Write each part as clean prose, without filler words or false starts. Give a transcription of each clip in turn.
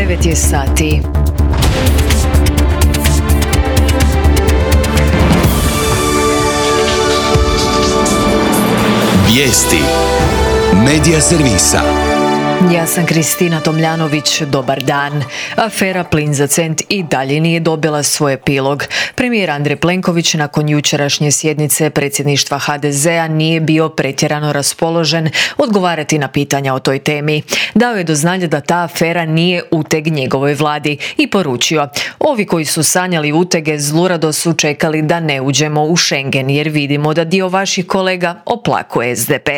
9 je sati. Vijesti Medija servisa. Ja sam Kristina Tomljanović, dobar dan. Afera Plin za cent i dalje nije dobila svoj epilog. Premijer Andrej Plenković nakon jučerašnje sjednice predsjedništva HDZ-a nije bio pretjerano raspoložen odgovarati na pitanja o toj temi. Dao je do znanja da ta afera nije uteg njegovoj vladi i poručio: ovi koji su sanjali utege zlurado su čekali da ne uđemo u Schengen jer vidimo da dio vaših kolega oplakuje SDP.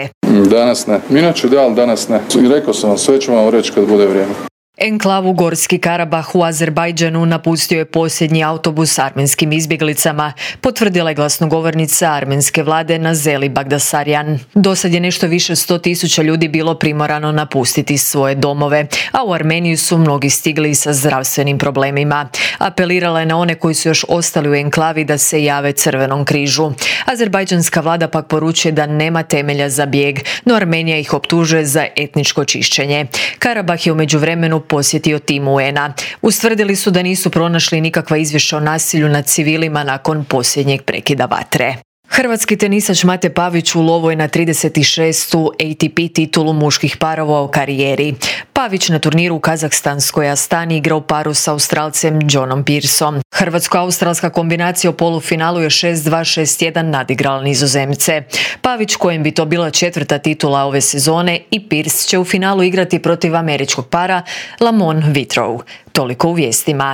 Danas ne. Inače da, ali danas ne. I rekao sam vam, sve ću vam reći kad bude vrijeme. Enklavu Gorski Karabah u Azerbajdžanu napustio je posljednji autobus s armenskim izbjeglicama, potvrdila je glasnogovornica armenske vlade Nazeli Bagdasarjan. Dosad je nešto više 100.000 ljudi bilo primorano napustiti svoje domove, a u Armeniju su mnogi stigli sa zdravstvenim problemima. Apelirala je na one koji su još ostali u enklavi da se jave Crvenom križu. Azerbajdžanska vlada pak poručuje da nema temelja za bijeg, no Armenija ih optužuje za etničko čišćenje. Karabah je u međuvremenu posjetio tim UN-a. Ustvrdili su da nisu pronašli nikakva izvješća o nasilju nad civilima nakon posljednjeg prekida vatre. Hrvatski tenisač Mate Pavić u lovu je na 36. ATP titulu muških parova u karijeri. Pavić na turniru u Kazahstanskoj Astani igra u paru s Australcem Johnom Pearsom. Hrvatsko-australska kombinacija u polufinalu je 6-2, 6-1 nadigrala Nizozemce. Pavić, kojem bi to bila 4. titula ove sezone, i Pearce će u finalu igrati protiv američkog para Lamont Whitrow. Toliko u vijestima.